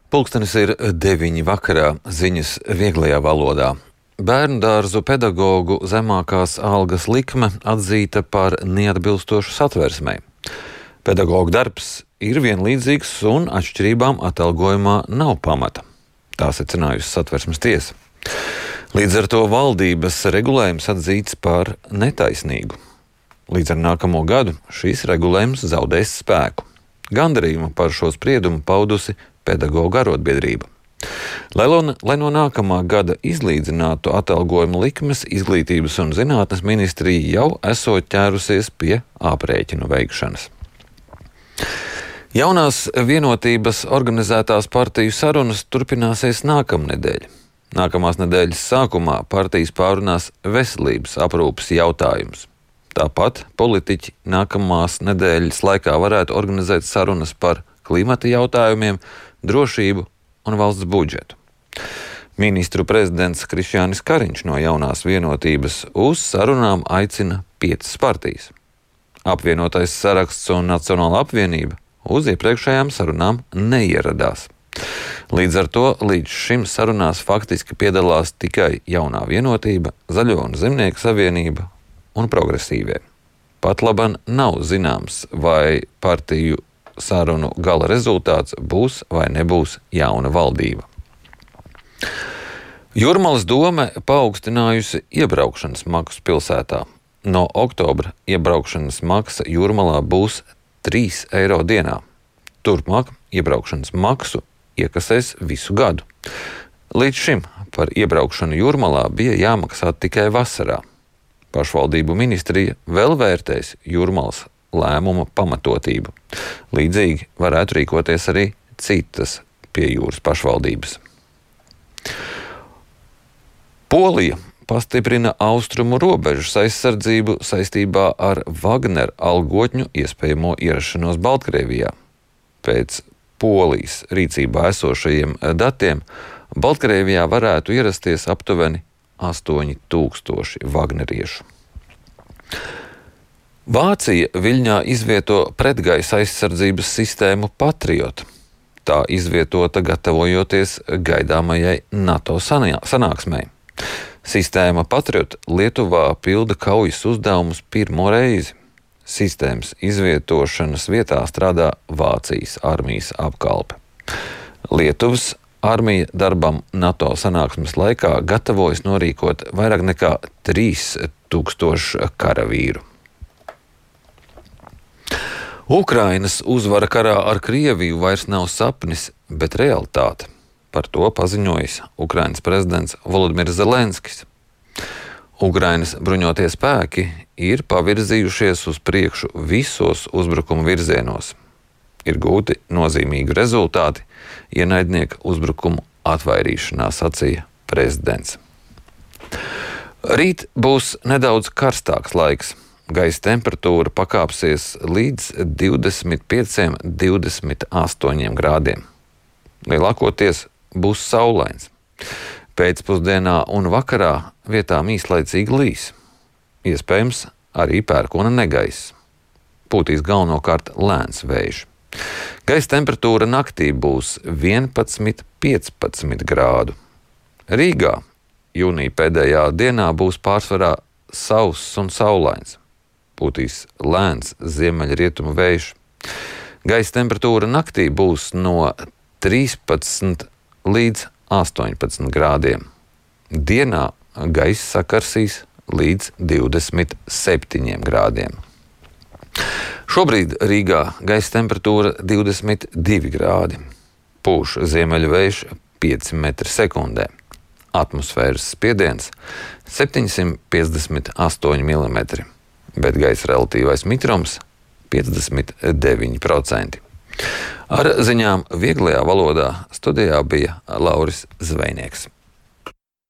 Pulkstenis ir 9 vakarā, ziņas vieglajā valodā. Bērndārzu pedagogu zemākās algas likme atzīta par neatbilstošu Satversmei. Pedagogu darbs ir vienlīdzīgs un atšķirībām atalgojumā nav pamata. Tā secinājusi Satversmes tiesa. Līdz ar to valdības regulējums atzīts par netaisnīgu. Līdz ar nākamo gadu šīs regulējums zaudēs spēku. Gandarījumu par šo spriedumu paudusi pedagogu arotbiedrība. Lai no nākamā gada izlīdzinātu atalgojumu likmes, Izglītības un zinātnes ministrija jau esot ķērusies pie aprēķinu veikšanas. Jaunās vienotības organizētās partiju sarunas turpināsies nākamnedēļ. Nākamās nedēļas sākumā partijas pārunās veselības aprūpes jautājumus. Tāpat politiķi nākamās nedēļas laikā varētu organizēt sarunas par klimata jautājumiem, drošību un valsts budžetu. Ministru prezidents Krišjānis Kariņš no Jaunās vienotības uz sarunām aicina 5 partijas. Apvienotais saraksts un Nacionāla apvienība uz iepriekšējām sarunām neieradās. Līdz ar to līdz šim sarunās faktiski piedalās tikai Jaunā vienotība, Zaļo un Zemnieku savienība un progresīvie. Patlaban nav zināms, vai partiju sarunu gala rezultāts būs vai nebūs jauna valdība. Jūrmalas dome paaugstinājusi iebraukšanas maksu pilsētā. No oktobra iebraukšanas maksa Jūrmalā būs 3 eiro dienā. Turpmāk iebraukšanas maksu iekasēs visu gadu. Līdz šim par iebraukšanu Jūrmalā bija jāmaksā tikai vasarā. Pašvaldību ministrija vēl vērtēs Jūrmalas lēmuma pamatotību. Līdzīgi varētu rīkoties arī citas pie jūras pašvaldības. Polija pastiprina austrumu robežas aizsardzību saistībā ar Wagner algotņu iespējamo ierašanos Baltkrievijā. Pēc Polijas rīcībā esošajiem datiem Baltkrievijā varētu ierasties aptuveni 8000 wagneriešu. Vācija Viļņā izvieto pretgaisa aizsardzības sistēmu Patriot. Tā izvietota gatavojoties gaidāmajai NATO sanāksmei. Sistēma Patriot Lietuvā pilda kaujas uzdevumus pirmo reizi. Sistēmas izvietošanas vietā strādā Vācijas armijas apkalpe. Lietuvas armija darbam NATO sanāksmes laikā gatavojas norīkot vairāk nekā 3000 karavīru. Ukrainas uzvara karā ar Krieviju vairs nav sapnis, bet realitāte. Par to paziņojis Ukrainas prezidents Volodimirs Zelenskis. Ukrainas bruņotie spēki ir pavirzījušies uz priekšu visos uzbrukuma virzienos. Ir gūti nozīmīgi rezultāti ienaidnieka uzbrukumu atvairīšanā, sacīja prezidents. Rīt būs nedaudz karstāks laiks. Gaisa temperatūra pakāpsies līdz 25–28 grādiem. Lielākoties būs saulains. Pēcpusdienā un vakarā vietām īslaicīgi līs. Iespējams arī pērkona negaiss. Pūtīs galvenokārt lēns vējš. Gaisa temperatūra naktī būs 11–15 grādu. Rīgā jūnija pēdējā dienā būs pārsvarā sauss un saulains. Pūtīs lēns ziemeļrietumu vējš. Gaisa temperatūra naktī būs no 13 līdz 18 grādiem. Dienā gaiss sakarsīs līdz 27 grādiem. Šobrīd Rīgā gaisa temperatūra 22 grādi. Pūš ziemeļu vējš 5 metri sekundē. Atmosfēras spiediens 758 mm. Bet gaisa relatīvais mitrums 59%. Ar ziņām vieglajā valodā studijā bija Lauris Zvejnieks.